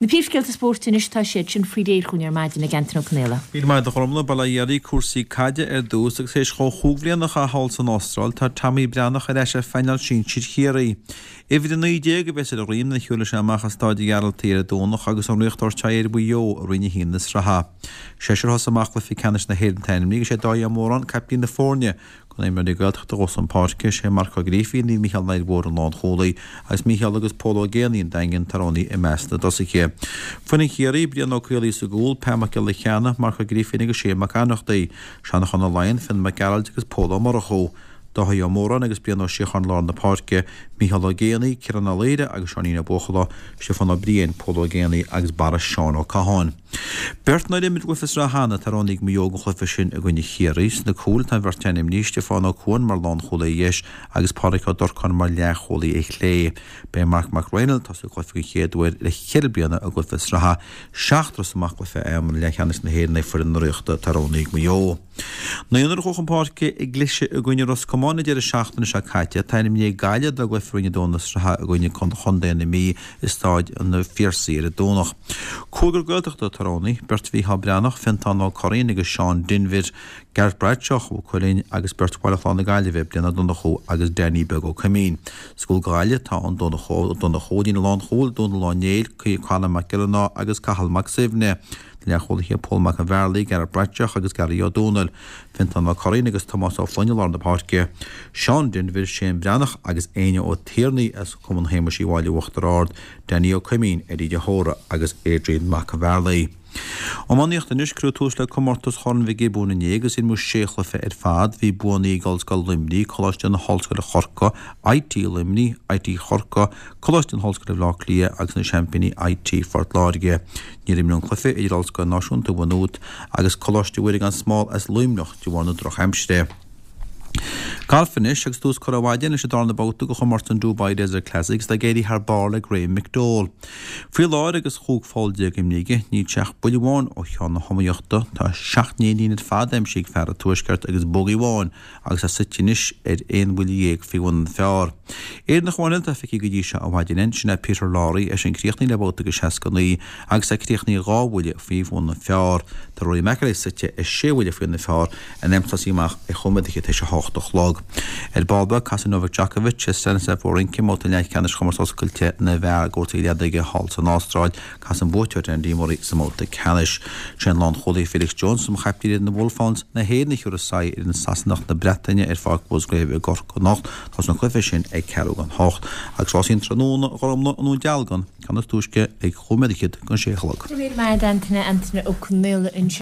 Na príomhscéalta spóirt anois, tá siad sin faoi réir chugainn ar maidin ag Antaine Ó Conaola. Míle maith agat a Ghormfhlaith, bail ó Dhia oraibh, cúrsaí caide ar dtús agus théis dhó chúig bhliana a chaitheamh thall san Astráil, tá Tommy Breathnach ar ais ar phainéal sinsir Chiarraí. Uimhir 19 a bheas ar a dhroim nuair a thiúrfaidh sé amach i Stáid an Ghearaltaigh ar an Domhnach agus an Ríocht ag tabhairt aghaidh ar Mhaigh Eo i Roinn 1 na sraithe. Seisear a thosaigh amach cluiche ceannais na hÉireann atá ainmnithe agus sé Dáithí Ó Móráin caiptín na foirne. Do na himreoirí Gaeltachta a ghabhfas chun páirce, sé Marc Ó Grífín, Naomh Mícheál an Aird Mhóir an lánchúlaí agus Mícheál agus Pól Ó Géibheannaigh an Daingin atá roghnaithe i measc na dtosaithe. Foireann Chiarraí, Brian Ó Caollaí sa gcúl, Pat Mac Giolla Cheanna, Marc Ó Grífín agus Shane Mac Ionnrachtaigh, Seanchán Ó Laighin, Fionn Mac Gearailt agus Pól Ó Murchú, Dáithí Ó Móráin agus Brian Ó Síocháin lár na páirce, Mícheál Ó Géibheannaigh, Ciarán Ó Laoire agus Seáinín Ó Buachalla, Stiofán Ó Briain, Pól Ó Géibheannaigh agus Barra Seán Ó Catháin. Beirt nár imir i gcluiche sraithe cheana atá roghnaithe ag Maigh Eo don chluiche sin i gcoinne Chiarraí. Sna cúil tá an bheirt ainmnithe, Stiofán Ó Cuain mar lánchúlaí ar dheis agus Pádraic Ó Durcáin mar leathchúlaí ar chlé. Beidh Marc Mac Raghnaill ag tosú an chluiche den chéad uair le ceithre bliana i gcluiche sraithe. Seachtar a thosaigh amach cluiche iomlán leathcheannais na hÉireann ag foireann na Ríochta atá roghnaithe ag Maigh Eo. Naonúr a chuaigh chun páirce i gcliseadh i gcoinne Ros Comáin an deireadh seachtaine seo caite. Atá ainmnithe ag Gaillimh dá gcluiche Roinn 2 na sraithe i gcoinne Chontae na Mí i Stáid an Phiarsaigh ar an Domhnach. Cúigear Gaeltachta atá roghnaithe, beirt Mhícheál Breathnach, Fiontán Ó Curraoin agus Seán Denvir, Gareth Bradshaw, Mhaigh Cuilinn agus beirt Bhaile Chláir na Gaillimhe, Brian Ó Donnchú agus Danny Beag Ó Coimín. Sa gcúl do Ghaillimh tá an Donnchú Ó Donnchú ar líne lánchúil, Dónal Ó Néill, Conor Mac Giollarnáth agus Cathal Mac Suibhne. Na leathchúlaithe Pól Mac an Bhearlaigh, Gareth Bradshaw agus Gary Ó Dónaill, Fiontán Ó Curraoin agus Tomás Ó Floinn i lár na páirce, Seán Denvir, Shane Breathnach agus Éinne Ó Tiarnaigh as Cumann Shéamuis Uí Mháille Uachtar Ard, Danny Ó Coimín, Eddie de hÓra agus Adrian Mac an Bhearlaigh. Iománaíocht Anois, cuireadh tús le comórtas Chorn Mhic Giobúin inné agus imríodh sé chluiche ar fad. Bhí buanna ag Ollscoil Luimnigh, Coláiste na hOllscoile Chorcaigh, IT Luimnigh, IT Chorcaí, Coláiste na hOllscoile Bhaile Átha Cliath agus na seaimpíní IT Phort Láirge. Níor imríodh an cluiche idir Ollscoil Náisiúnta Mhaigh Nuad agus Coláiste Mhuire gan Smál as Luimneach de bharr na drochaimsire. Galf anois agus tús curtha ar maidin leis an darna babhta de chomórtas an Dubai Desert Classic agus tá ag éirí thar barr le Graham McDowell. Faoi láthair agus 15 pholl imrithe aige, níl sé ach buille amháin ó cheann na hiomaíochta. Tá 7 n-éinín ar fad aimsithe ag fear an Tuaiscirt agus bogey amháin agus é suite anois ar aon bhuille dhéag faoi bhun an phar. Éireannach amháin eile atá feicthe go dtí seo ar maidin ann, sin é Peter Lawrie, eisean críochnaithe le babhta de 69 agus é críochnaithe dhá bhuille faoi bhun an phar. Tá Rory McIlroy suite ar sé bhuille faoi bhun an phar in am tosaí amach ar chóiméad fhichead tar éis a hocht a chlog. Ar ball beag, casfaidh Novak Djokovic ar Stanislas Wawrinka i mbabhta leathcheannais Chomórtas Oscailte na bhFear i gcúrsaí leadóige thall san Astráil. Casfaidh an buaiteoir ar Andy Murray sa mbabhta ceannais. Sé an lánchúlaí Felix Jones, captaen fhoireann na Wolfhounds na hÉireann a thiúrfas aghaidh ar an Sasanach na Breataine ar Pháirc Mhusgrave i gCorcaigh anocht. Tosaíonn an cluiche sin ag ceathrú don hocht. Agus rásaí an tráthnóna, a Ghormfhlaith, i nDún Dealgan, ceann is túisce ag chúig nóiméad fhichead don sé a chlog. Go raibh míle maith agat Antaine, Antaine Ó Conaola ansin.